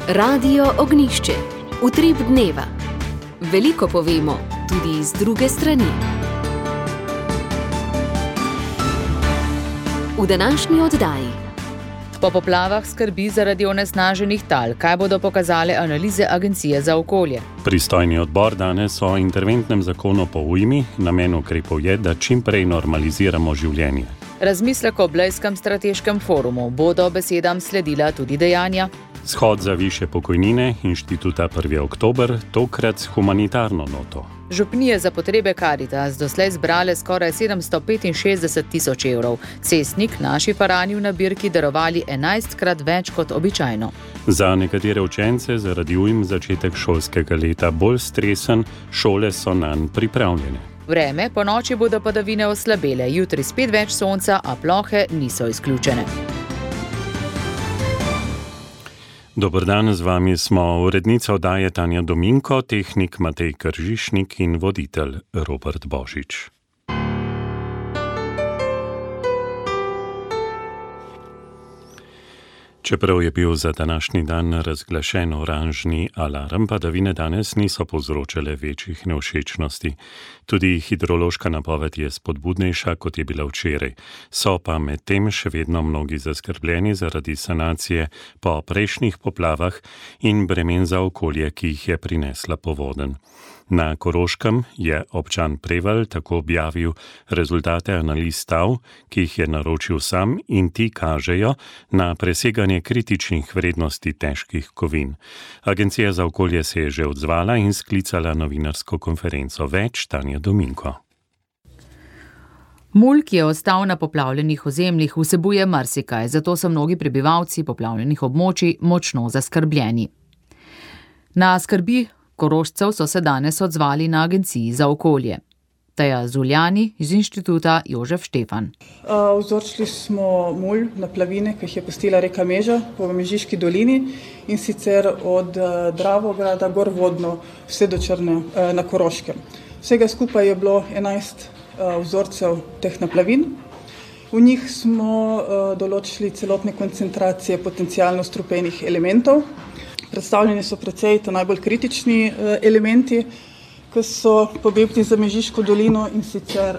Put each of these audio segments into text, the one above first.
Radio Ognjišče. Utrip dneva. Veliko povemo, tudi iz druge strani. V današnji oddaji. Po poplavah skrbi zaradi onesnaženih tal. Kaj bodo pokazale analize Agencije za okolje? Pristojni odbor danes o interventnem zakonu po ujmi. Namen ukrepov je, da čim prej normaliziramo življenje. Razmislek o Blejskem strateškem forumu. Bodo besedam sledila tudi dejanja? Shod za višje pokojnine Inštituta 1. oktober, tokrat s humanitarno noto. Župnije za potrebe Karitas doslej zbrale skoraj 765 tisoč evrov. Cestnik naši Farani v nabirki darovali 11-krat več kot običajno. Za nekatere učence zaradi ujm začetek šolskega leta bolj stresen, šole so nanj pripravljene. Vreme, po noči bodo padavine oslabele, jutri spet več sonca, a plohe niso izključene. Dober dan, z vami smo urednica oddaje Tanja Dominko, tehnik Matej Kržišnik in voditelj Robert Božič. Čeprav je bil za današnji dan razglašen oranžni alarm, padavine danes niso povzročale večjih nevšečnosti. Tudi hidrološka napoved je spodbudnejša, kot je bila včeraj. So pa medtem še vedno mnogi zaskrbljeni zaradi sanacije po prejšnjih poplavah in bremen za okolje, ki jih je prinesla povodenj. Na Koroškem je občan Prevalj tako objavil rezultate analiz stav, ki jih je naročil sam, in ti kažejo na preseganje kritičnih vrednosti težkih kovin. Agencija za okolje se je že odzvala in sklicala novinarsko konferenco. Več Tanja Dominko. Mulj, ki je ostal na poplavljenih ozemljih, vsebuje marsikaj, zato so mnogi prebivalci poplavljenih območij močno zaskrbljeni. Na skrbi Korošcev so se danes odzvali na Agenciji za okolje. Teja Zuljani iz Inštituta Jožef Štefan. Vzorčili smo mulj na plavine, ki jih je pustila reka Meža po Mežiški dolini, in sicer od Dravograda gorvodno vse do Črne na Koroškem. Vsega skupaj je bilo 11 vzorcev teh naplavin. V njih smo določili celotne koncentracije potencialno strupenih elementov. Predstavljeni so precej najbolj kritični elementi, ki so pomembni za Mežiško dolino, in sicer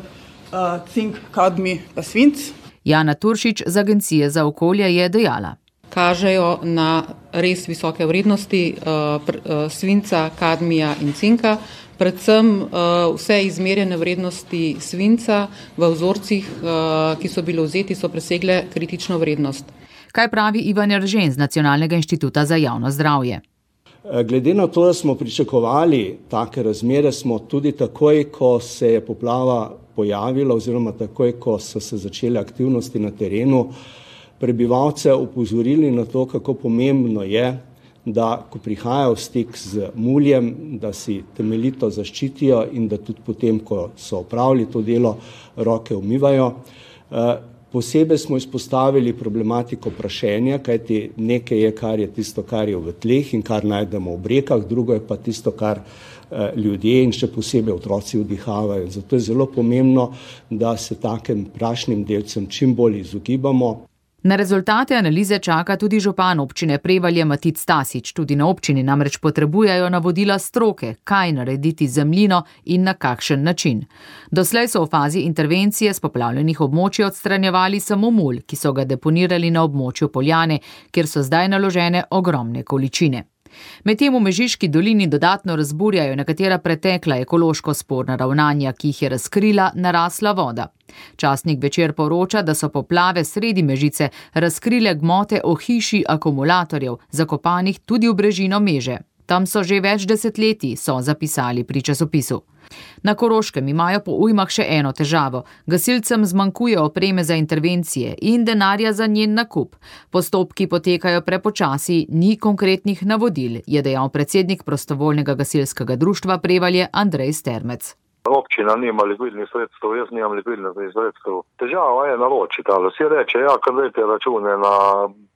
cink, kadmij pa svinc. Jana Turšič z Agencije za okolje je dejala. Kažejo na res visoke vrednosti svinca, kadmija in cinka, predvsem vse izmerjene vrednosti svinca v vzorcih, ki so bili vzeti, so presegle kritično vrednost. Kaj pravi Ivan Eržen z Nacionalnega inštituta za javno zdravje? Glede na to, da smo pričakovali take razmere, smo tudi takoj, ko se je poplava pojavila oziroma takoj, ko so se začele aktivnosti na terenu, prebivalce opozorili na to, kako pomembno je, da ko prihajajo v stik z muljem, da si temeljito zaščitijo in da tudi potem, ko so opravili to delo, roke umivajo. Posebej smo izpostavili problematiko prašenja, kajti nekaj je, kar je tisto, kar je v tleh in kar najdemo v rekah, drugo je pa tisto, kar ljudje in še posebej otroci vdihavajo. Zato je zelo pomembno, da se takim prašnim delcem čim bolj izogibamo. Na rezultate analize čaka tudi župan občine Prevalje Matic Stasič. Tudi na občini namreč potrebujejo navodila stroke, kaj narediti z zemljino in na kakšen način. Doslej so v fazi intervencije s poplavljenih območij odstranjevali samo mulj, ki so ga deponirali na območju Poljane, kjer so zdaj naložene ogromne količine. Medtem v Mežiški dolini dodatno razburjajo nekatera pretekla ekološko sporna ravnanja, ki jih je razkrila narasla voda. Časnik Večer poroča, da so poplave sredi Mežice razkrile gmote o hiši akumulatorjev, zakopanih tudi v brežino Meže. Tam so že več desetletij, so zapisali pri časopisu. Na Koroškem imajo po ujmah še eno težavo. Gasilcem zmanjkuje opreme za intervencije in denarja za njen nakup. Postopki potekajo prepočasi, ni konkretnih navodil, je dejal predsednik prostovoljnega gasilskega društva Prevalje Andrej Stermec. Občina nima likvidnih sredstev, jaz nimam likvidnih sredstev. Težava je naročiti, ali vsi reče, kar dajte račune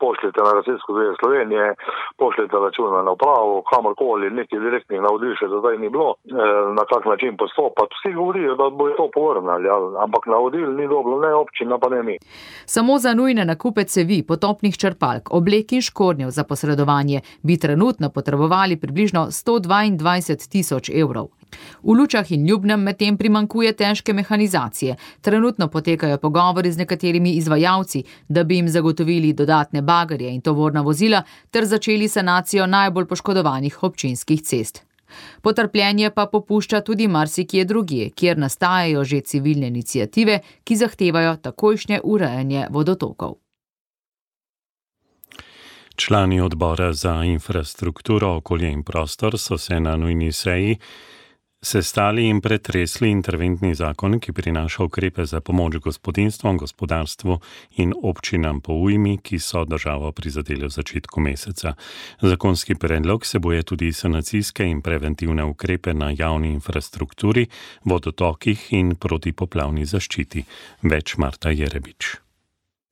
pošljite na Gasilsko zvezo Slovenije, pošljite račune na upravo, kamorkoli, nekih direktnih navodil še do zdaj ni bilo, na kak način postopati. Vsi govorijo, da bojo to povrnali, ampak navodil ni dobro, ne občina pa ne mi. Samo za nujne nakupe cevi, potopnih črpalk, oblek in škornjev za posredovanje bi trenutno potrebovali približno 122 000 evrov. V Lučah in Ljubnem medtem primanjkuje težke mehanizacije. Trenutno potekajo pogovori z nekaterimi izvajalci, da bi jim zagotovili dodatne bagerje in tovorna vozila ter začeli sanacijo najbolj poškodovanih občinskih cest. Potrpljenje pa popušča tudi marsikje drugje, kjer nastajajo že civilne iniciative, ki zahtevajo takojšnje urejanje vodotokov. Člani odbora za infrastrukturo, okolje in prostor so se na nujni seji sestali in pretresli interventni zakon, ki prinaša ukrepe za pomoč gospodinjstvom, gospodarstvu in občinam po ujmi, ki so državo prizadele v začetku meseca. Zakonski predlog vsebuje tudi sanacijske in preventivne ukrepe na javni infrastrukturi, vodotokih in protipoplavni zaščiti. Več Marta Jerebič.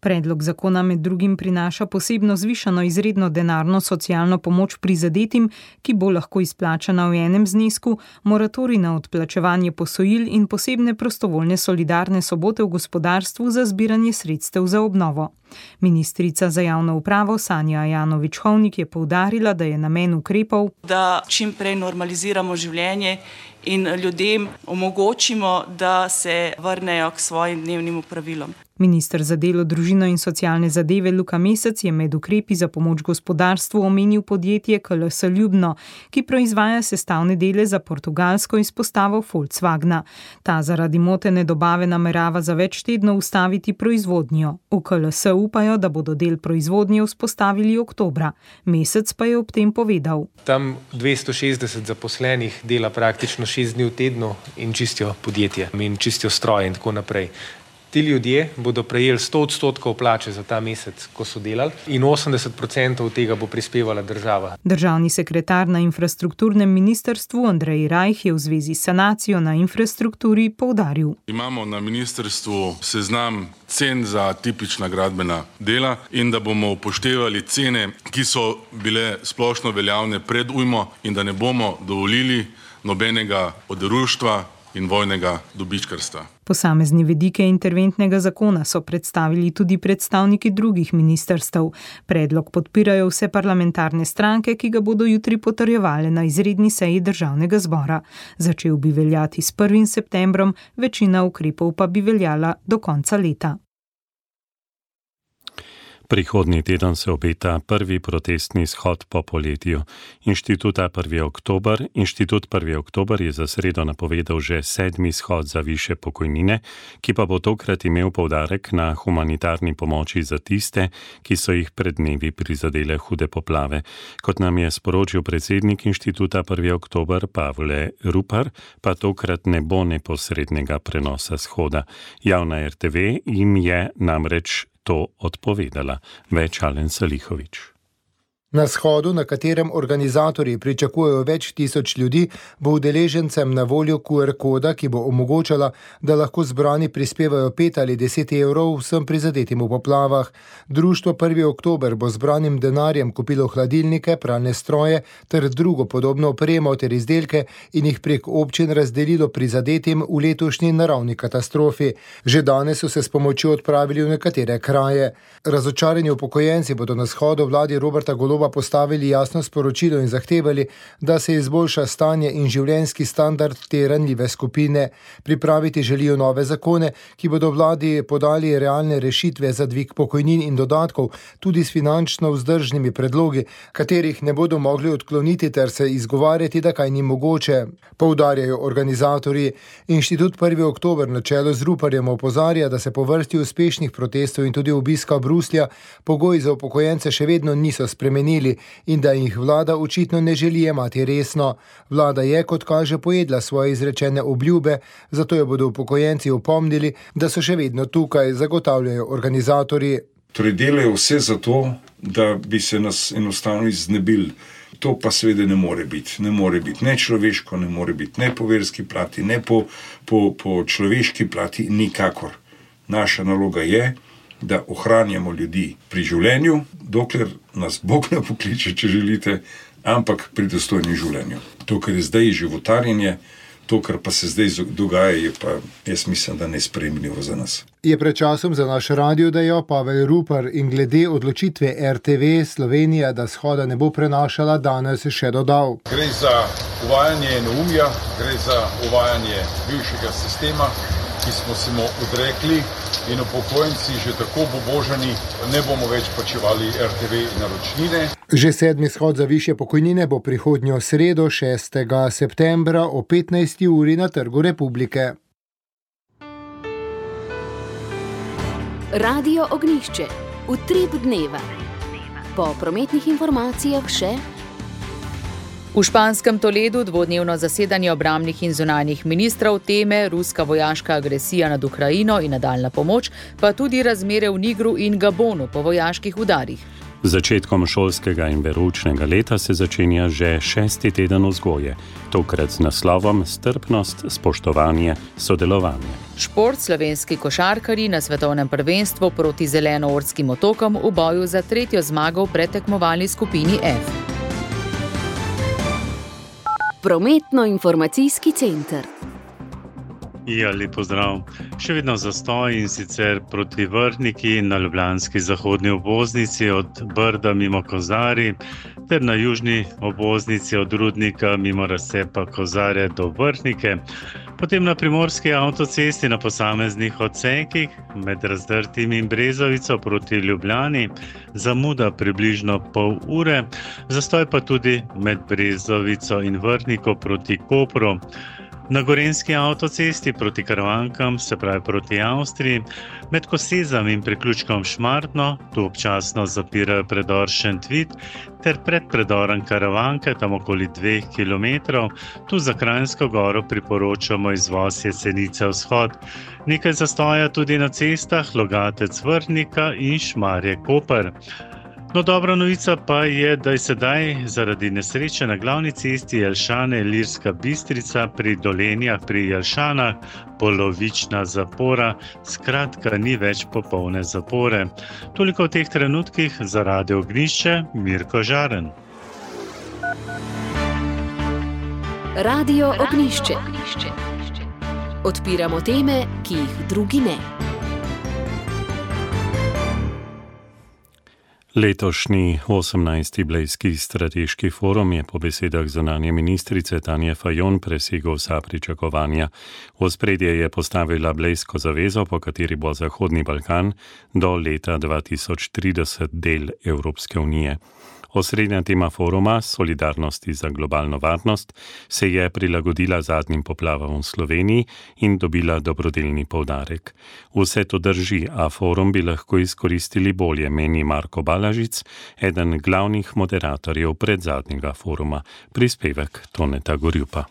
Predlog zakona med drugim prinaša posebno zvišano izredno denarno socialno pomoč prizadetim, ki bo lahko izplačana v enem znesku, moratorij na odplačevanje posojil in posebne prostovoljne solidarne sobote v gospodarstvu za zbiranje sredstev za obnovo. Ministrica za javno upravo Sanja Ajanović-Hovnik je poudarila, da je namen ukrepov, da čim prej normaliziramo življenje in ljudem omogočimo, da se vrnejo k svojim dnevnim opravilom. Minister za delo, družino in socialne zadeve Luka Mesec je med ukrepi za pomoč gospodarstvu omenil podjetje KLS Ljubno, ki proizvaja sestavne dele za portugalsko izpostavo Volkswagna. Ta zaradi motene dobave namerava za več tednov ustaviti proizvodnjo. V KLS upajo, da bodo del proizvodnje vzpostavili oktobra. Mesec pa je ob tem povedal. Tam 260 zaposlenih dela praktično 6 dni v tednu in čistijo podjetje in čistijo stroje in tako naprej. Ti ljudje bodo prejeli 100% plače za ta mesec, ko so delali, in 80% od tega bo prispevala država. Državni sekretar na infrastrukturnem ministrstvu Andrej Rajh je v zvezi s sanacijo na infrastrukturi poudaril. Imamo na ministrstvu seznam cen za tipična gradbena dela in da bomo upoštevali cene, ki so bile splošno veljavne pred ujmo in da ne bomo dovolili nobenega oderuštva in vojnega dobičkarstva. Posamezne vidike interventnega zakona so predstavili tudi predstavniki drugih ministrstev. Predlog podpirajo vse parlamentarne stranke, ki ga bodo jutri potrjevale na izredni seji Državnega zbora. Začel bi veljati s 1. septembrom, večina ukrepov pa bi veljala do konca leta. Prihodnji teden se obeta prvi protestni shod po poletju. Inštitut 1. oktober je za sredo napovedal že 7. shod za višje pokojnine, ki pa bo tokrat imel poudarek na humanitarni pomoči za tiste, ki so jih pred dnevi prizadele hude poplave. Kot nam je sporočil predsednik Inštituta 1. oktober Pavle Rupar, pa tokrat ne bo neposrednega prenosa shoda. Javna RTV jim je namreč to odpovedala. Več Alen Salihović. Na shodu, na katerem organizatorji pričakujejo več tisoč ljudi, bo udeležencem na voljo QR koda, ki bo omogočala, da lahko zbrani prispevajo 5 ali 10 evrov vsem prizadetim v poplavah. Društvo 1. oktober bo zbranim denarjem kupilo hladilnike, pralne stroje ter drugo podobno opremo ter izdelke in jih prek občin razdelilo prizadetim v letošnji naravni katastrofi. Že danes so se s pomočjo odpravili v nekatere kraje. Razočarani upokojenci bodo na shodu vladi Roberta Goloba postavili jasno sporočilo in zahtevali, da se izboljša stanje in življenjski standard te ranljive skupine. Pripraviti želijo nove zakone, ki bodo vladi podali realne rešitve za dvig pokojnin in dodatkov, tudi s finančno vzdržnimi predlogi, katerih ne bodo mogli odkloniti ter se izgovarjati, da kaj ni mogoče. Poudarjajo organizatorji. Inštitut 1. oktober na čelu z Ruparjem opozarja, da se po vrsti uspešnih protestov in tudi obiska Bruslja pogoji za upokojence še vedno niso spremenili in da jih vlada očitno ne želi jemati resno. Vlada je, kot kaže, pojedla svoje izrečene obljube, zato jo bodo upokojenci opomnili, da so še vedno tukaj, zagotavljajo organizatorji. Torej delajo vse za to, da bi se nas enostavno iznebili. To pa seveda ne more biti. Ne more biti ne človeško, ne more biti ne po verski plati, ne po človeški plati, nikakor. Naša naloga je, da ohranjamo ljudi pri življenju, dokler nas Bog ne pokliče, če želite, ampak pri dostojnem življenju. To, kar je zdaj životarjenje, to, kar pa se zdaj dogaja, je pa, jaz mislim, da nesprejemljivo za nas. Je pred časom za naš radio dejal Pavel Rupar in glede odločitve RTV Slovenija, da shoda ne bo prenašala, danes še dodal. Gre za uvajanje neumja, gre za uvajanje bivšega sistema, ki smo se mu odrekli in upokojenci že tako obubožani, ne bomo več plačevali RTV naročnine. Že 7. shod za višje pokojnine bo prihodnjo sredo 6. septembra o 15. uri na Trgu Republike. Radio Ognjišče. Utrip dneva. Po prometnih informacijah še... V španskem Toledu dvodnevno zasedanje obrambnih in zunanjih ministrov, teme ruska vojaška agresija nad Ukrajino in nadaljna pomoč, pa tudi razmere v Nigru in Gabonu po vojaških udarih. Z začetkom šolskega in veroučnega leta se začenja že 6. teden vzgoje, tokrat z naslovom Strpnost, spoštovanje, sodelovanje. Šport, slovenski košarkarji na svetovnem prvenstvu proti Zelenoortskim otokom v boju za 3. zmago v predtekmovalni skupini F. Prometno-informacijski center. Ja, lep pozdrav. Še vedno zastoj in sicer proti Vrhniki na ljubljanski zahodni obvoznici od Brda mimo Kozarij ter na južni obvoznici od Rudnika mimo razcepa Kozarje do Vrhnike. Potem na primorski avtocesti na posameznih odsekih med Razdrtim in Brezovico proti Ljubljani, zamuda približno pol ure, zastoj pa tudi med Brezovico in Vrhniko proti Kopru. Na gorenjski avtocesti proti Karavankam, se pravi proti Avstriji, med Kosezam in priključkom Šmartno, tu občasno zapirajo predor Šentvit, ter pred predorom Karavanke, tam okoli 2 km, tu za Kranjsko goro priporočamo izvoz Jesenice vzhod. Nekaj zastoja tudi na cestah Logatec Vrhnika in Šmarje Koper. No, dobra novica pa je, da je sedaj zaradi nesreče na glavni cesti Jelšane-Ilirska Bistrica pri Dolenjah pri Jelšanah polovična zapora, skratka ni več popolne zapore. Toliko v teh trenutkih za Radio Ognjišče, Mirko Žaren. Radio Ognjišče. Odpiramo teme, ki jih drugi ne. Letošnji 18. Blejski strateški forum je po besedah zunanje ministrice Tanje Fajon presegel vsa pričakovanja. V ospredje je postavila Blejsko zavezo, po kateri bo Zahodni Balkan do leta 2030 del Evropske unije. Osrednja tema foruma, solidarnosti za globalno varnost, se je prilagodila zadnjim poplavam v Sloveniji in dobila dobrodelni poudarek. Vse to drži, a forum bi lahko izkoristili bolje, meni Marko Balažic, eden glavnih moderatorjev predzadnjega foruma. Prispevek Toneta Gorjupa.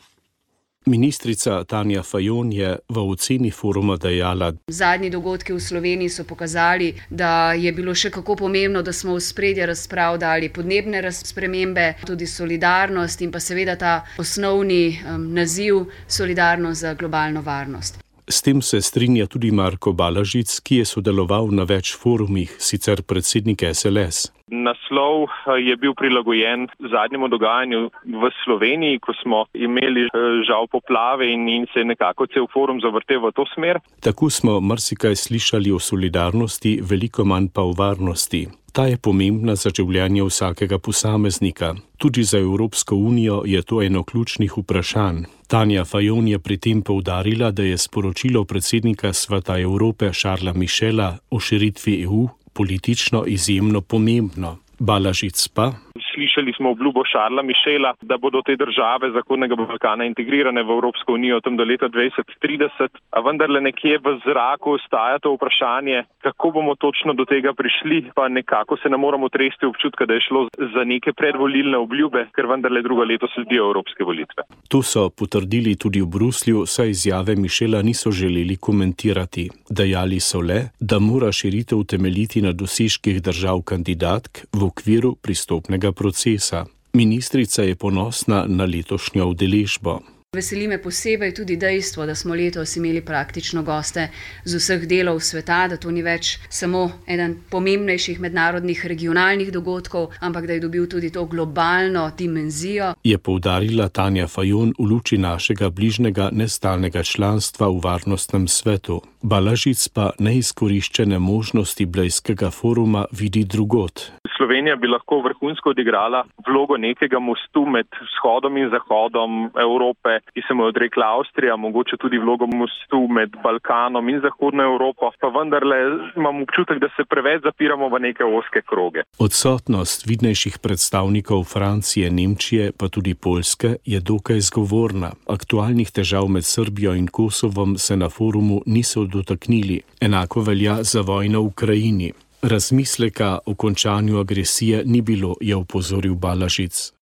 Ministrica Tanja Fajon je v oceni foruma dejala: Zadnji dogodki v Sloveniji so pokazali, da je bilo še kako pomembno, da smo v spredje razprav dali podnebne spremembe, tudi solidarnost in pa seveda ta osnovni naziv solidarnost za globalno varnost. S tem se strinja tudi Marko Balažic, ki je sodeloval na več forumih, sicer predsednik SLS. Naslov je bil prilagojen zadnjemu dogajanju v Sloveniji, ko smo imeli žal poplave in se je nekako cel forum zavrtel v to smer. Tako smo marsikaj slišali o solidarnosti, veliko manj pa o varnosti. Ta je pomembna za življenje vsakega posameznika. Tudi za Evropsko unijo je to eno ključnih vprašanj. Tanja Fajon je pri tem poudarila, da je sporočilo predsednika Sveta Evrope Charlesa Michela o širitvi EU politično izjemno pomembno. Balažic pa: Slišali smo obljubo Charlesa Michela, da bodo te države Zahodnega Balkana integrirane v Evropsko unijo tam do leta 2030, a vendarle nekje v zraku ostaja to vprašanje, kako bomo točno do tega prišli, pa nekako se ne moramo tresti občutka, da je šlo za neke predvolilne obljube, ker vendarle drugo leto sledijo evropske volitve. To so potrdili tudi v Bruslju, saj izjave Michela niso želeli komentirati. Dejali so le, da mora širitev temeljiti na dosežkih držav kandidatk v okviru pristopnega procesa. Ministrica je ponosna na letošnjo udeležbo. Veseli me posebej tudi dejstvo, da smo letos imeli praktično goste z vseh delov sveta, da to ni več samo eden pomembnejših mednarodnih regionalnih dogodkov, ampak da je dobil tudi to globalno dimenzijo. Je poudarila Tanja Fajon v luči našega bližnjega nestalnega članstva v Varnostnem svetu. Balažic pa neizkoriščene možnosti Blejskega foruma vidi drugod. Slovenija bi lahko vrhunsko odigrala vlogo nekega mostu med vzhodom in zahodom Evrope, ki se mu je odrekla Avstrija, mogoče tudi vlogo mostu med Balkanom in Zahodno Evropo, pa vendarle imam občutek, da se preveč zapiramo v neke ozke kroge. Odsotnost vidnejših predstavnikov Francije, Nemčije, pa tudi Poljske je dokaj zgovorna. Aktualnih težav med Srbijo in Kosovom se na forumu niso dotaknili. Enako velja za vojno v Ukrajini. Razmisleka o končanju agresije ni bilo, je opozoril Balažic.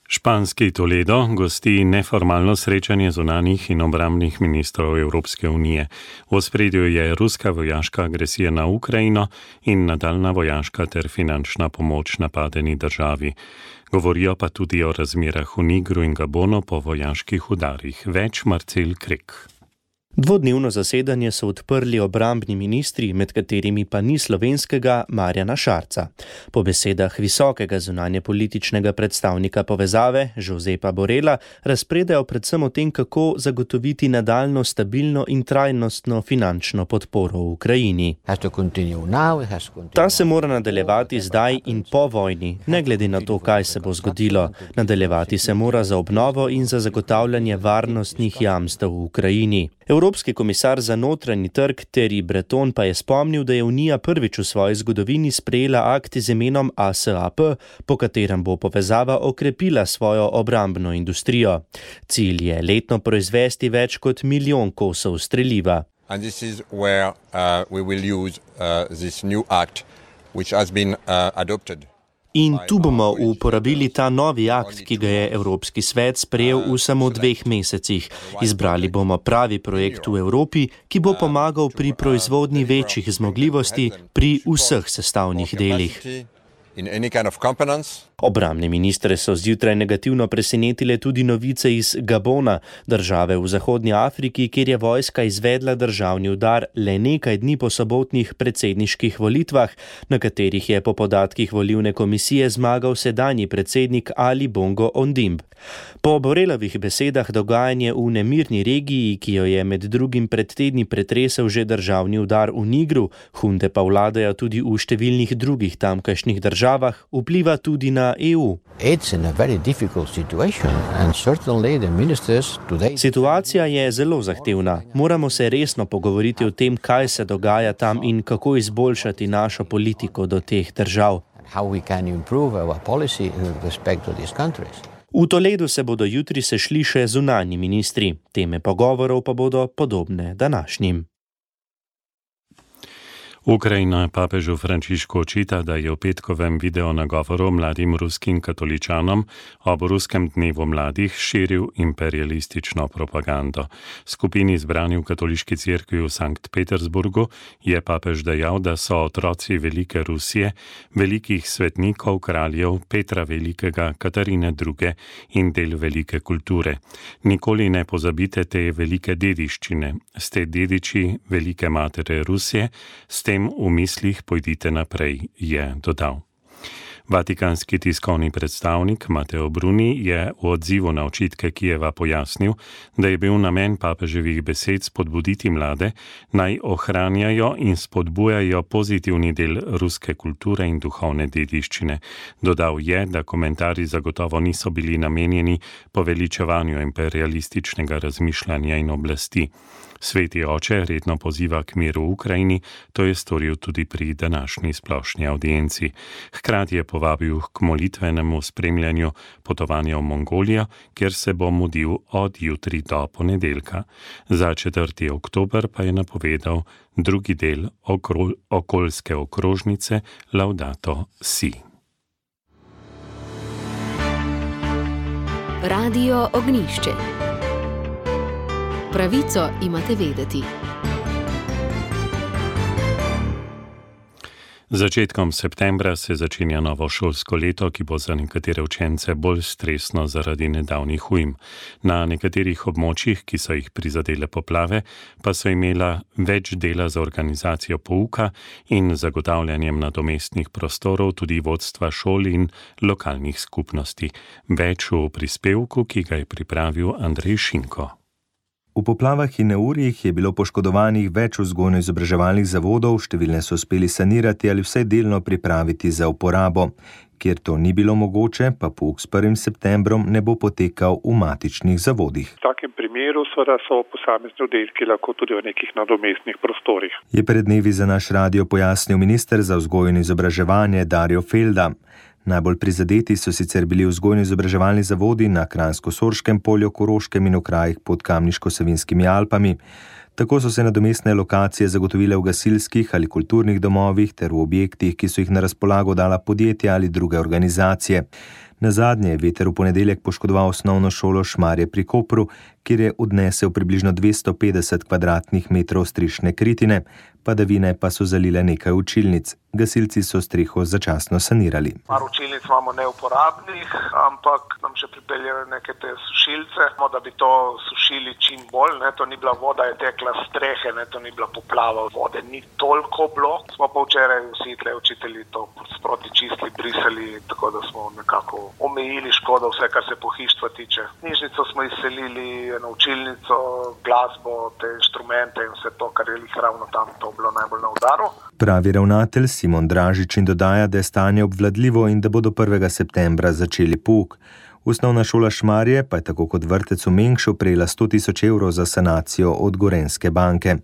Španski Toledo gosti neformalno srečanje zunanjih in obrambnih ministrov Evropske unije. V ospredju je ruska vojaška agresija na Ukrajino in nadaljna vojaška ter finančna pomoč napadeni državi. Govorijo pa tudi o razmerah v Nigru in Gabonu po vojaških udarih. Več Marcel Krek. Dvodnevno zasedanje so odprli obrambni ministri, med katerimi pa ni slovenskega Marjana Šarca. Po besedah visokega zunanjepolitičnega predstavnika povezave, Josepa Borela, razpredajo predvsem o tem, kako zagotoviti nadaljno stabilno in trajnostno finančno podporo v Ukrajini. Ta se mora nadaljevati zdaj in po vojni, ne glede na to, kaj se bo zgodilo. Nadaljevati se mora za obnovo in za zagotavljanje varnostnih jamstev v Ukrajini. Evropski komisar za notranji trg Thierry Breton pa je spomnil, da je Unija prvič v svoji zgodovini sprejela akt z imenom ASAP, po katerem bo povezava okrepila svojo obrambno industrijo. Cilj je letno proizvesti več kot 1 milijon kosov streliva. And this is where we will use this new act which has been adopted. In tu bomo uporabili ta novi akt, ki ga je Evropski svet sprejel v samo 2 mesecih. Izbrali bomo pravi projekt v Evropi, ki bo pomagal pri proizvodnji večjih zmogljivosti pri vseh sestavnih delih. Obrambne ministre so zjutraj negativno presenetile tudi novice iz Gabona, države v Zahodnji Afriki, kjer je vojska izvedla državni udar le nekaj dni po sobotnih predsedniških volitvah, na katerih je po podatkih volilne komisije zmagal sedanji predsednik Ali Bongo Ondimb. Po Borelovih besedah dogajanje v nemirni regiji, ki jo je med drugim pred tedni pretresel že državni udar v Nigru, hunte pa vladajo tudi v številnih drugih tamkajšnjih državah, vpliva tudi na EU. Situacija je zelo zahtevna. Moramo se resno pogovoriti o tem, kaj se dogaja tam in kako izboljšati našo politiko do teh držav. V Toledu se bodo jutri sešli še zunanji ministri. Teme pogovorov pa bodo podobne današnjim. Ukrajina papežu Frančišku očita, da je v petkovem videonagovoru mladim ruskim katoličanom ob ruskem dnevu mladih širil imperialistično propagando. Skupini zbrani v katoliški cerkvi v Sankt Petersburgu je papež dejal, da so otroci velike Rusije, velikih svetnikov, kraljev Petra Velikega, Katarine II. In del velike kulture. Nikoli ne pozabite te velike dediščine. Ste dediči velike matere Rusije, s tem v mislih pojdite naprej, je dodal. Vatikanski tiskovni predstavnik Mateo Bruni je v odzivu na očitke Kijeva pojasnil, da je bil namen papeževih besed spodbuditi mlade, naj ohranjajo in spodbujajo pozitivni del ruske kulture in duhovne dediščine. Dodal je, da komentarji zagotovo niso bili namenjeni poveličevanju imperialističnega razmišljanja in oblasti. Sveti oče redno poziva k miru v Ukrajini, to je storil tudi pri današnji splošni avdienci. Hkrati je povabil k molitvenemu spremljanju potovanja v Mongolijo, kjer se bo mudil od jutri do ponedeljka. Za 4. oktober pa je napovedal drugi del okoljske okrožnice Laudato Si. Radio Ognjišče. Pravico imate vedeti. Začetkom septembra se začenja novo šolsko leto, ki bo za nekatere učence bolj stresno zaradi nedavnih ujm. Na nekaterih območjih, ki so jih prizadele poplave, pa so imela več dela za organizacijo pouka in zagotavljanjem nadomestnih prostorov tudi vodstva šol in lokalnih skupnosti. Več v prispevku, ki ga je pripravil Andrej Šinko. V poplavah in neurjih je bilo poškodovanih več vzgojno-izobraževalnih zavodov, številne so uspeli sanirati ali vsaj delno pripraviti za uporabo. Kjer to ni bilo mogoče, pa pouk s 1. septembrom ne bo potekal v matičnih zavodih. V takem primeru seveda so posamezni oddelki lahko tudi v nekih nadomestnih prostorih. Je pred dnevi za naš radio pojasnil minister za vzgojo in izobraževanje Darjo Felda. Najbolj prizadeti so sicer bili vzgojno-izobraževalni zavodi na Kranjsko-Sorškem polju, Koroškem in v krajih pod Kamniško-Savinjskimi Alpami. Tako so se nadomestne lokacije zagotovile v gasilskih ali kulturnih domovih ter v objektih, ki so jih na razpolago dala podjetja ali druge organizacije. Nazadnje je veter v ponedeljek poškodoval osnovno šolo Šmarje pri Kopru, kjer je odnesel približno 250 kvadratnih metrov strišne kritine, padavine pa so zalile nekaj učilnic. Gasilci so streho začasno sanirali. Par učilnic imamo neuporabnih, ampak nam še pripeljajo neke te sušilce, da bi to sušili čim bolj. To ni bila voda, je tekla strehe, to ni bila poplava, vode ni toliko bilo. Smo pa včeraj vsi tle učitelji to sproti čistili, brisali, tako da smo nekako omejili škodo, vse kar se pohištva tiče. Knjižnico smo izselili, na učilnico, glasbo, te inštrumente in vse to, kar je ravno tam, to bilo najbolj na udaru. Pravi ravnatelj Simon Dražič in dodaja, da je stanje obvladljivo in da bo do 1. septembra začeli pouk. Osnovna šola Šmarje pa je tako kot vrtec v Mengšu prejela 100.000 evrov za sanacijo od Gorenjske banke.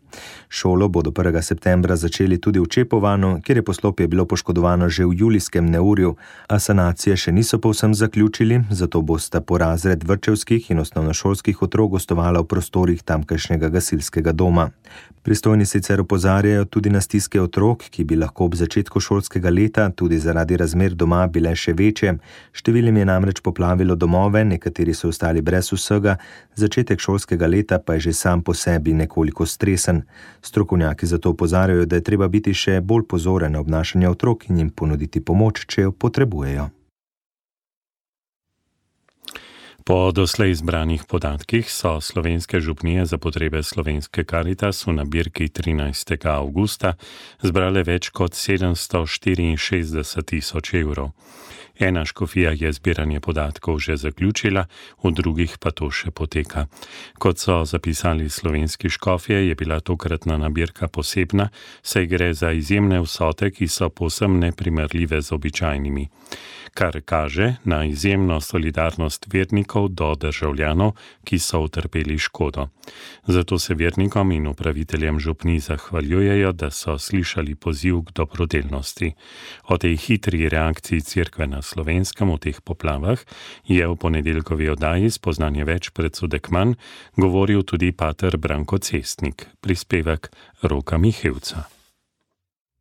Šolo bodo 1. septembra začeli tudi v Čepovanu, kjer je poslopje bilo poškodovano že v julijskem neurju, a sanacije še niso povsem zaključili, zato bosta po razred vrtčevskih in osnovnošolskih otrok gostovala v prostorih tamkajšnjega gasilskega doma. Pristojni sicer opozarjajo tudi na stiske otrok, ki bi lahko ob začetku šolskega leta tudi zaradi razmer doma bile še večje. Številnim je namreč poplavilo domove, nekateri so ostali brez vsega, začetek šolskega leta pa je že sam po sebi nekoliko stresen. Strokovnjaki zato opozarjajo, da je treba biti še bolj pozoren na obnašanje otrok in jim ponuditi pomoč, če jo potrebujejo. Po doslej izbranih podatkih so slovenske župnije za potrebe Slovenske Karitas v nabirki 13. avgusta zbrale več kot 764.000 evrov. Ena škofija je zbiranje podatkov že zaključila, v drugih pa to še poteka. Kot so zapisali slovenski škofje, je bila tokratna nabirka posebna, saj gre za izjemne vsote, ki so povsem neprimerljive z običajnimi. Kar kaže na izjemno solidarnost vernikov do državljanov, ki so utrpeli škodo. Zato se vernikom in upraviteljem župnij zahvaljujejo, da so slišali poziv k dobrodelnosti. O tej hitri reakciji Cerkve na Slovenskem v teh poplavah je v ponedeljkovi oddaji Spoznanje več predsodek manj govoril tudi pater Branko Cestnik, prispevek Roka Mihevca.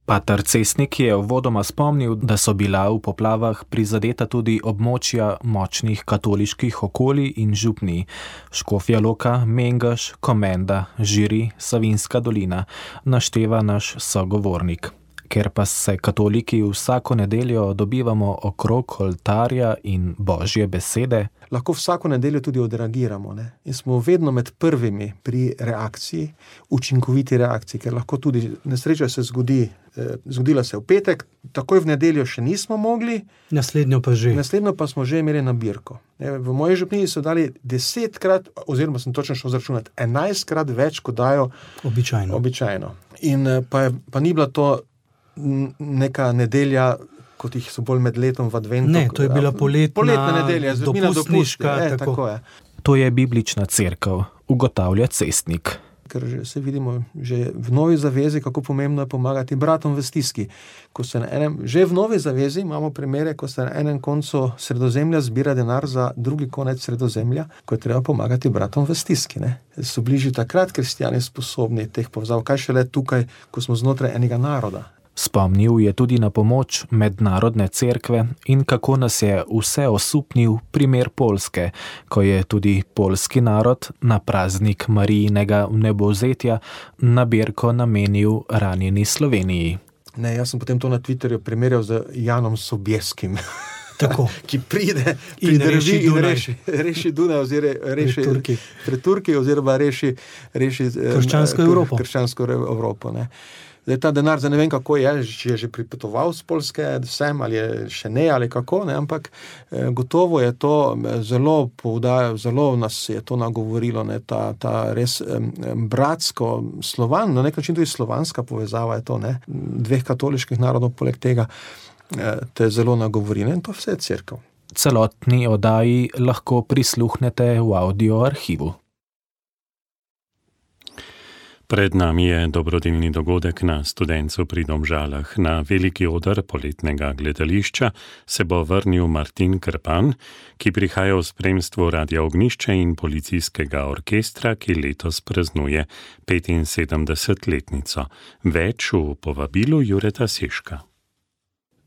Pater Cestnik je uvodoma spomnil, da so bila v poplavah prizadeta tudi območja močnih katoliških okolij in župnij: Škofja Loka, Mengeš, Komenda, Žiri, Savinjska dolina, našteva naš sogovornik. Ker pa se katoliki vsako nedeljo dobivamo okrog oltarja in Božje besede, lahko vsako nedeljo tudi odreagiramo, ne? In smo vedno med prvimi pri reakciji, učinkoviti reakciji, ker lahko tudi nesreča se zgodila se v petek, takoj v nedeljo še nismo mogli, naslednjo pa smo že imeli nabirko. V moji župniji so dali 10-krat, oziroma sem točno šel zračunati, 11-krat več, kot dajo običajno. In pa ni bila to neka nedelja, kot jih so bolj med letom v adventu. Ne, to je bila poletna nedelja, dopustniška. Tako je. To je biblična cerkev, ugotavlja Cestnik. Ker se vidimo že v Novi zavezi, kako pomembno je pomagati bratom v stiski. Že v Novi zavezi imamo primere, ko se na enem koncu Sredozemlja zbira denar za drugi konec Sredozemlja, ko je treba pomagati bratom v stiski. So bili že takrat kristjani sposobni teh povezav, kaj šele tukaj, ko smo znotraj enega naroda. Spomnil je tudi na pomoč mednarodne cerkve in kako nas je vse osupnil primer Poljske, ko je tudi poljski narod na praznik Marijinega vnebovzetja nabirko namenil ranjeni Sloveniji. Ne, jaz sem potem to na Twitterju primerjal z Janom Sobieskim. Tako. Ki pride reši Dunaj oziroma reši krščansko Evropo. Ne. Zdaj, ta denar, ne vem kako je že pripotoval z Poljske sem, ali je še ne, ali kako, ne, ampak gotovo je to zelo nas je to nagovorilo, ne, ta res bratsko slovan, na nek način tudi slovanska povezava je to, ne, dveh katoliških narodov poleg tega te zelo nagovori, ne, in to vse je cerkev. Celotni oddaji lahko prisluhnete v audio arhivu. Pred nami je dobrodelni dogodek na Studencu pri Domžalah. Na veliki oder poletnega gledališča se bo vrnil Martin Krpan, ki prihaja v spremstvu Radia Ognjišče in policijskega orkestra, ki letos praznuje 75-letnico. Več v povabilu Jureta Seška.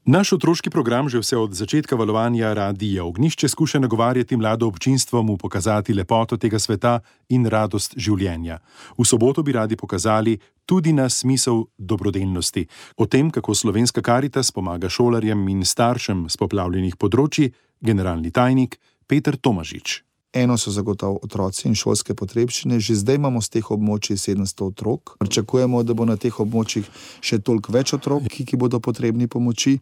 Naš otroški program že vse od začetka valovanja Radia Ognjišče skuša nagovarjati mlado občinstvo mu pokazati lepoto tega sveta in radost življenja. V soboto bi radi pokazali tudi na smisel dobrodelnosti. O tem, kako Slovenska Karitas pomaga šolarjem in staršem s poplavljenih področji, generalni tajnik Peter Tomažič. Eno so zagotovo otroci in šolske potrebščine. Že zdaj imamo z teh območij 700 otrok. Pričakujemo, da bo na teh območjih še toliko več otrok, ki bodo potrebni pomoči.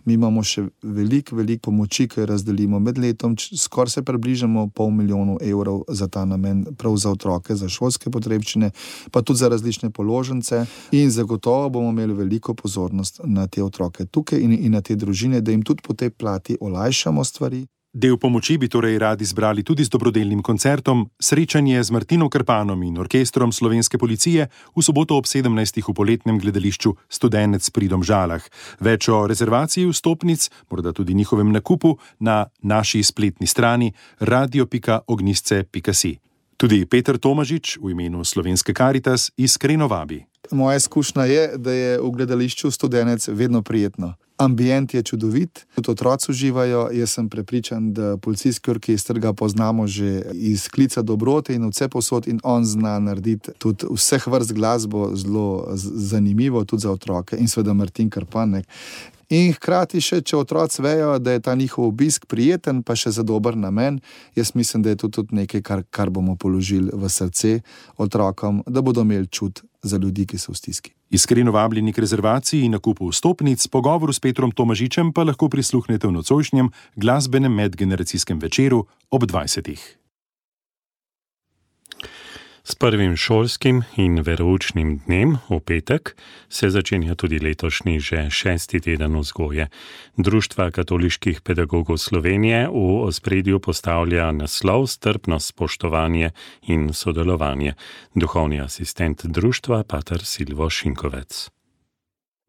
Mi imamo še veliko pomoči, ki razdelimo med letom. Skoraj se približamo 500 000 evrov za ta namen, prav za otroke, za šolske potrebščine, pa tudi za različne položnice. In zagotovo bomo imeli veliko pozornost na te otroke tukaj in na te družine, da jim tudi po tej plati olajšamo stvari. Del pomoči bi torej radi zbrali tudi z dobrodelnim koncertom, srečanje z Martinom Krpanom in orkestrom Slovenske policije v soboto ob 17. v poletnem gledališču Studenec pri Domžalah. Več o rezervaciji vstopnic, morda tudi njihovem nakupu, na naši spletni strani radio.ognjisce.si. Tudi Peter Tomažič v imenu Slovenske Karitas iskreno vabi. Moja izkušnja je, da je v gledališču Studenec vedno prijetno. Ambient je čudovit, tudi otroci uživajo. Jaz sem prepričan, da policijski orkester ga poznamo že iz klica dobrote in vse posod in on zna narediti tudi vseh vrst glasbo zelo zanimivo, tudi za otroke in seveda Martin Krpan. In hkrati še, če otroci vejo, da je ta njihov obisk prijeten, pa še za dober namen, jaz mislim, da je to tudi nekaj, kar bomo položili v srce otrokom, da bodo imeli čut za ljudi, ki so v stiski. Iskreno vabljeni k rezervaciji in nakupu vstopnic, pogovoru s Petrom Tomažičem pa lahko prisluhnete v nocojšnjem glasbenem medgeneracijskem večeru ob 20. S prvim šolskim in veroučnim dnem v petek se začenja tudi letošnji že 6. teden vzgoje. Društva katoliških pedagogov Slovenije v ospredju postavlja naslov Strpnost, spoštovanje in sodelovanje. Duhovni asistent društva pater Silvo Šinkovec.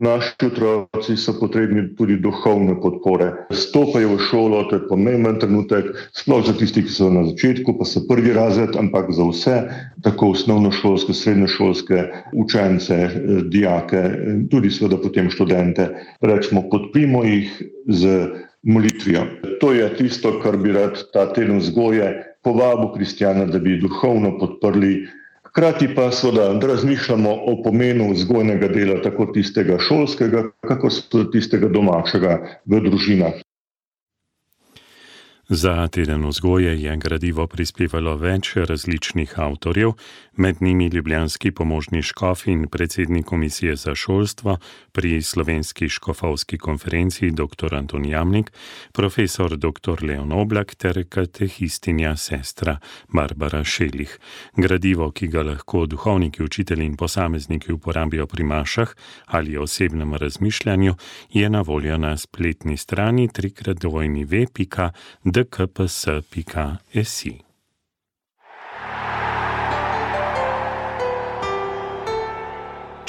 Naši otroci so potrebni tudi duhovne podpore. Stopajo v šolo, to je pomemben trenutek, sploh za tisti, ki so na začetku, pa so prvi razred, ampak za vse, tako osnovnošolske, srednjošolske učence, dijake, tudi seveda potem študente. Rečemo, podprimo jih z molitvijo. To je tisto, kar bi rad ta teden vzgoje povabil kristjana, da bi duhovno podprli. Hkrati pa seveda, da razmišljamo o pomenu vzgojnega dela, tako tistega šolskega, kako tudi tistega domačega v družinah. Za teden vzgoje je gradivo prispevalo več različnih avtorjev, med njimi ljubljanski pomožni škof in predsednik komisije za šolstvo pri Slovenski škofovski konferenciji dr. Anton Jamnik, profesor dr. Leon Oblak ter katehistinja sestra Barbara Šelih. Gradivo, ki ga lahko duhovniki, učitelji in posamezniki uporabijo pri mašah ali osebnem razmišljanju, je na voljo na spletni strani www.dkps.si.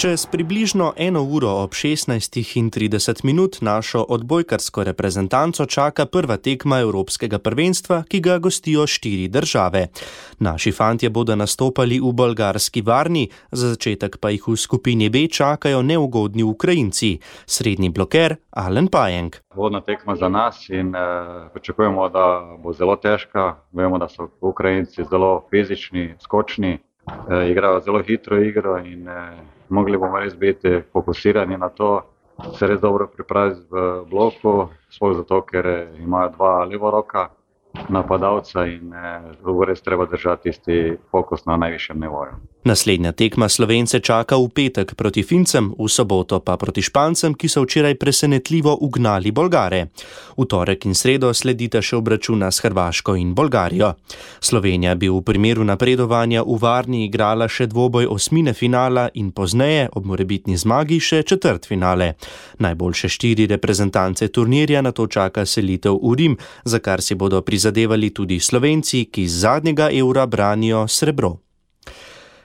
Čez približno 1 uro ob 16:30 našo odbojkarsko reprezentanco čaka prva tekma Evropskega prvenstva, ki ga gostijo 4 države. Naši fantje bodo nastopali v bolgarski Varni, za začetek pa jih v skupini B čakajo neugodni Ukrajinci, srednji bloker Alen Pajenk. Vodna tekma za nas in pričakujemo, da bo zelo težka. Vemo, da so Ukrajinci zelo fizični, skočni, igrajo zelo hitro igro in mogli bomo res biti fokusirani na to. se res dobro pripraviti v bloku, sploh zato, ker imajo dva levoroka napadalca in res treba držati tisti fokus na najvišjem nivoju. Naslednja tekma Slovence čaka v petek proti Fincem, v soboto pa proti Špancem, ki so včeraj presenetljivo ugnali Bolgare. V torek in sredo sledita še obračuna s Hrvaško in Bolgarijo. Slovenija bi v primeru napredovanja v Varni igrala še dvoboj osmine finala in pozneje, ob morebitni zmagi, še četrtfinale. Najboljše 4 reprezentance turnirja nato čaka selitev v Rim, za kar si bodo prizadevali tudi Slovenci, ki z zadnjega Eura branijo srebro.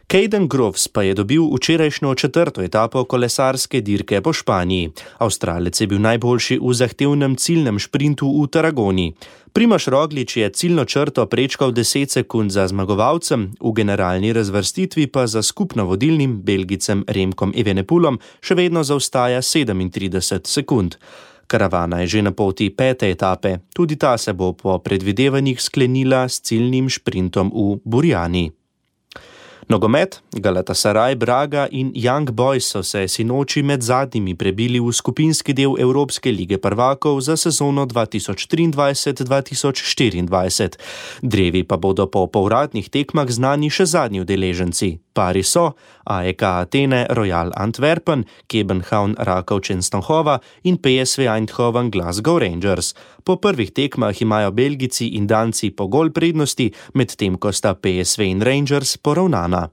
Caden Groves pa je dobil včerajšnjo 4. etapo kolesarske dirke po Španiji. Avstralec je bil najboljši v zahtevnem ciljnem šprintu v Tarragoni. Primož Roglič je ciljno črto prečkal 10 sekund za zmagovalcem, v generalni razvrstitvi pa za skupno vodilnim Belgicem Remkom Evenepoelom še vedno zaostaja 37 sekund. Karavana je že na poti 5. etape, tudi ta se bo po predvidevanjih sklenila s ciljnim šprintom v Burjani. Nogomet, Galatasaray, Braga in Young Boys so se sinoči med zadnjimi prebili v skupinski del Evropske lige prvakov za sezono 2023-2024. Drevi pa bodo po povratnih tekmah znani še zadnji udeleženci. Pari so AEK Atene, Royal Antwerpen, Kebenhavn Rakov Częstochowa in PSV Eindhoven Glasgow Rangers. Po prvih tekmah imajo Belgici in Danci po gol prednosti, medtem ko sta PSV in Rangers poravnana.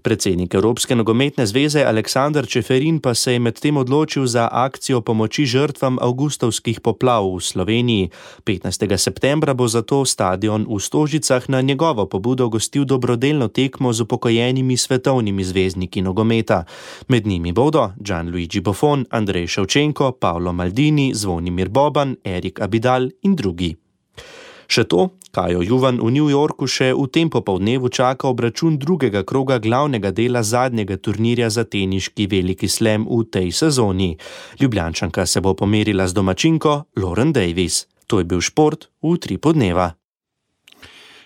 Predsednik Evropske nogometne zveze Aleksander Čeferin pa se je medtem odločil za akcijo pomoči žrtvam avgustovskih poplav v Sloveniji. 15. septembra bo zato stadion v Stožicah na njegovo pobudo gostil dobrodelno tekmo z upokojenimi svetovnimi zvezdniki nogometa. Med njimi bodo Gianluigi Buffon, Andrej Ševčenko, Paolo Maldini, Zvonimir Boban, Erik Abidal in drugi. Še to, Kajo Juvan v New Yorku še v tem popoldnevu čaka obračun drugega kroga glavnega dela zadnjega turnirja za teniški veliki slam v tej sezoni. Ljubljančanka se bo pomerila z domačinko Lauren Davis. To je bil šport v Utripu dneva.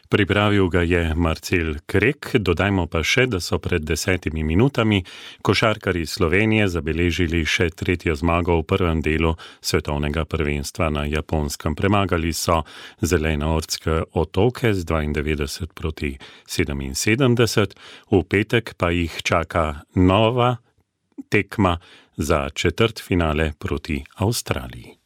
Pripravil ga je Marcel Krek, dodajmo pa še, da so pred 10 minutami košarkarji Slovenije zabeležili še 3. zmago v prvem delu svetovnega prvenstva na Japonskem. Premagali so Zelenoortske otoke z 92 proti 77, v petek pa jih čaka nova tekma za četrtfinale proti Avstraliji.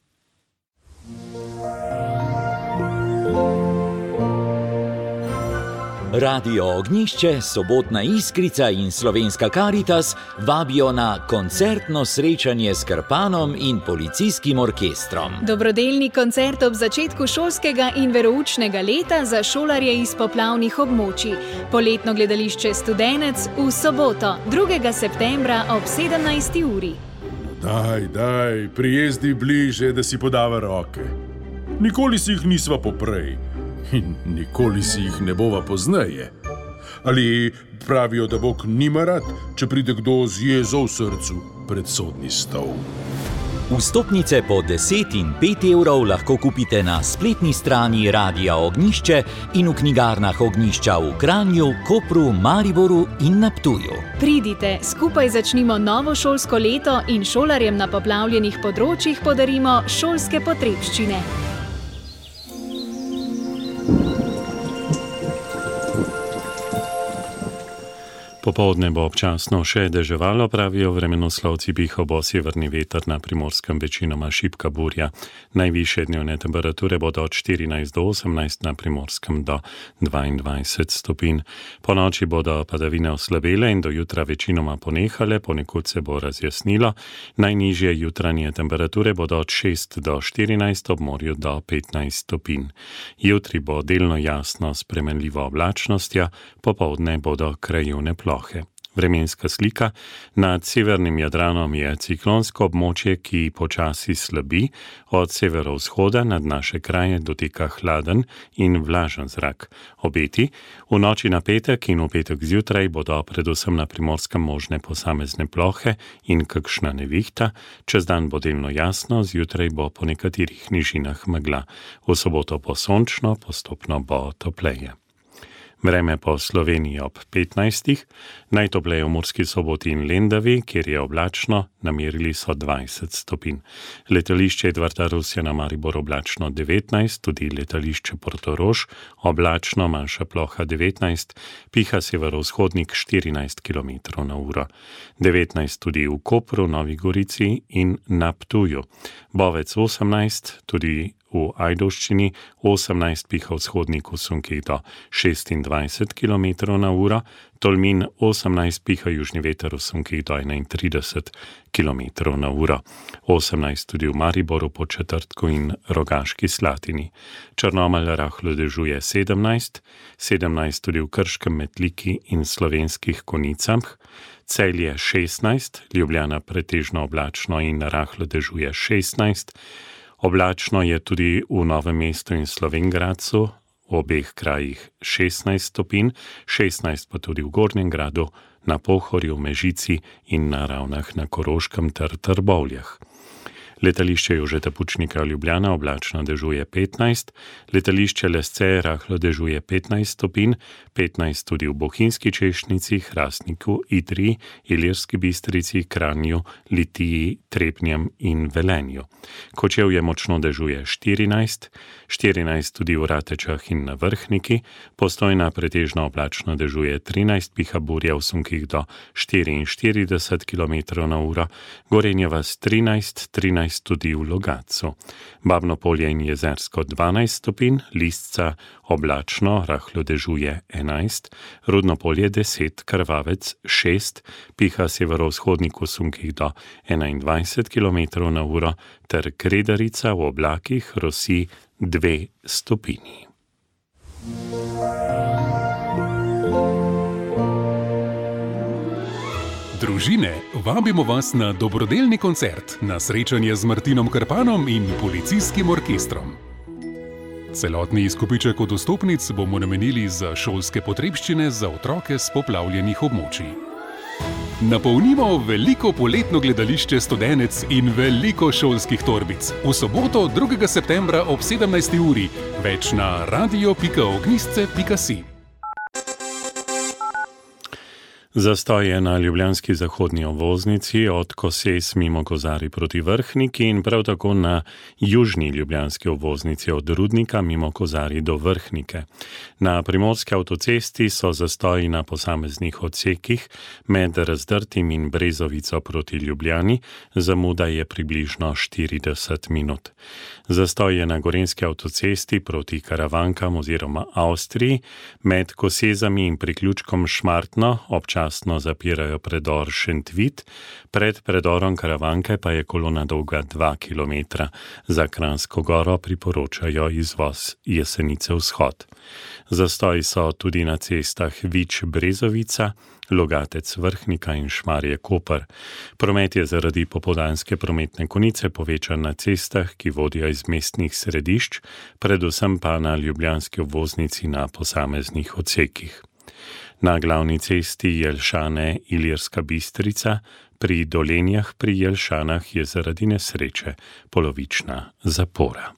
Radio Ognjišče, Sobotna Iskrica in Slovenska Karitas vabijo na koncertno srečanje s Krpanom in policijskim orkestrom. Dobrodelni koncert ob začetku šolskega in veroučnega leta za šolarje iz poplavnih območij. Poletno gledališče Studenec v soboto, 2. septembra ob 17. uri. Daj, prijezdi bliže, da si podava roke. Nikoli si jih nisva poprej. In nikoli si jih ne bova pozneje. Ali pravijo, da Bog nima rad, če pride kdo z jezo v srcu pred sodni stol. Vstopnice po 10 in 5 evrov lahko kupite na spletni strani Radia Ognjišče in v knjigarnah Ognjišča v Kranju, Kopru, Mariboru in na Ptuju. Pridite, skupaj začnimo novo šolsko leto in šolarjem na poplavljenih področjih podarimo šolske potrebščine. Popoldne bo občasno še deževalo, pravijo vremenoslovci, piha bo severni veter, na Primorskem večinoma šibka burja. Najvišje dnevne temperature bodo od 14 do 18, na Primorskem do 22 stopinj. Po noči bodo padavine oslabele in do jutra večinoma ponehale, ponekod se bo razjasnilo. Najnižje jutranje temperature bodo od 6 do 14, ob morju do 15 stopinj. Jutri bo delno jasno s spremenljivo oblačnostjo, popoldne bodo krajevne plohe. Vremenska slika. Nad severnim Jadranom je ciklonsko območje, ki počasi slabi. Od severovzhoda nad naše kraje dotika hladen in vlažen zrak. Obeti. V noči na petek in v petek zjutraj bodo predvsem na Primorskem možne posamezne plohe in kakšna nevihta. Čez dan bo delno jasno, zjutraj bo po nekaterih nižinah megla. V soboto bo sončno, postopno bo topleje. Vreme po Sloveniji ob 15, najtopleje v Murski Soboti in Lendavi, kjer je oblačno, namerili so 20 stopinj. Letališče Edvarda Rusja na Maribor oblačno 19, tudi letališče Portorož oblačno, manjša ploha 19, piha severovzhodnik 14 km/h. 19 tudi v Kopru, Novi Gorici in na Ptuju. Bovec 18, tudi v Ajdovščini, 18 piha vzhodnik v sunkih do 26 km/h, Tolmin 18 piha južni veter v sunkih do 31 km/h, 18 tudi v Mariboru, Podčetrtku in Rogaški Slatini. Črnomelj rahlo dežuje 17, 17 tudi v Krškem, Metliki in Slovenskih Konicah, Celje 16, Ljubljana pretežno oblačno in rahlo dežuje 16, oblačno je tudi v Novem mestu in Slovenj Gradcu, v obeh krajih 16 stopinj, 16 pa tudi v Gornjem Gradu, na Pohorju, Mežici in na Ravnah na Koroškem ter Trbovljah. Letališče Jožeta Pučnika Ljubljana oblačno dežuje 15, letališče Lesce rahlo dežuje 15 stopinj, 15 tudi v Bohinjski Češnjici, Hrastniku, Idriji, Ilirski Bistrici, Kranju, Litiji, Trebnjem in Velenju. Kočevje močno dežuje 14, 14 tudi v Ratečah in na Vrhniki, Postojna pretežno oblačno dežuje 13, piha burja v sunkih do 44 km/h, Gorenje vas 13, 13 tudi v Logatcu. Babno Polje in Jezersko 12 stopinj, Lisca oblačno, rahlo dežuje 11, Rudno Polje 10, Krvavec 6, piha severovzhodnik v sunkih do 21 km/h ter Kredarica v oblakih rosi 2 stopinji. Družine, vabimo vas na dobrodelni koncert, na srečanje z Martinom Krpanom in policijskim orkestrom. Celotni izkupiček od vstopnic bomo namenili za šolske potrebščine za otroke s poplavljenih območij. Napolnimo veliko poletno gledališče Studenec in veliko šolskih torbic. V soboto 2. septembra ob 17. uri. Več na radio.ognisce.si. Zastoj je na ljubljanski zahodni obvoznici od Koses mimo Kozarij proti Vrhniki in prav tako na južni ljubljanski obvoznici od Rudnika mimo Kozarij do Vrhnike. Na primorski avtocesti so zastoji na posameznih odsekih med Razdrtim in Brezovico proti Ljubljani, zamuda je približno 40 minut. Zastoj je na gorenjski avtocesti proti Karavankam oziroma Avstriji, med Kosezami in priključkom Šmartno občasno zapirajo predor Šentvit, pred predorom Karavanke pa je kolona dolga 2 km. Za Kranjsko Goro priporočajo izvoz Jesenice vzhod. Zastoji so tudi na cestah Vič-Brezovica, Logatec Vrhnika in Šmarje-Koper. Promet je zaradi popoldanske prometne konice povečan na cestah, ki vodijo iz mestnih središč, predvsem pa na ljubljanski obvoznici na posameznih odsekih. Na glavni cesti Jelšane-Ilirska Bistrica pri Dolenjah pri Jelšanah je zaradi nesreče polovična zapora.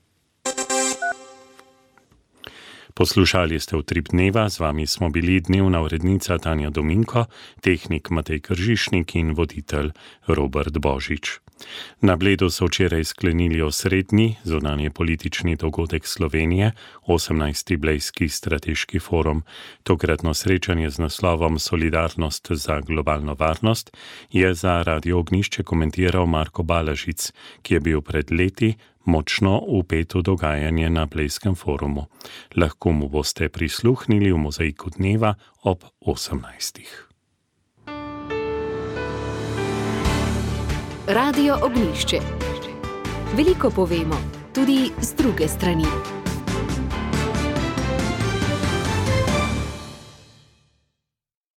Poslušali ste Utrip dneva, z vami smo bili dnevna urednica Tanja Dominko, tehnik Matej Kržišnik in voditelj Robert Božič. Na Bledu so včeraj sklenili osrednji zunanje politični dogodek Slovenije, 18. Blejski strateški forum. Tokratno srečanje z naslovom Solidarnost za globalno varnost je za Radio Ognišče komentiral Marko Balažic, ki je bil pred leti močno vpet v dogajanje na Blejskem forumu. Lahko mu boste prisluhnili v Mozaiku dneva ob 18. Radio Ognišče. Veliko povemo, tudi z druge strani.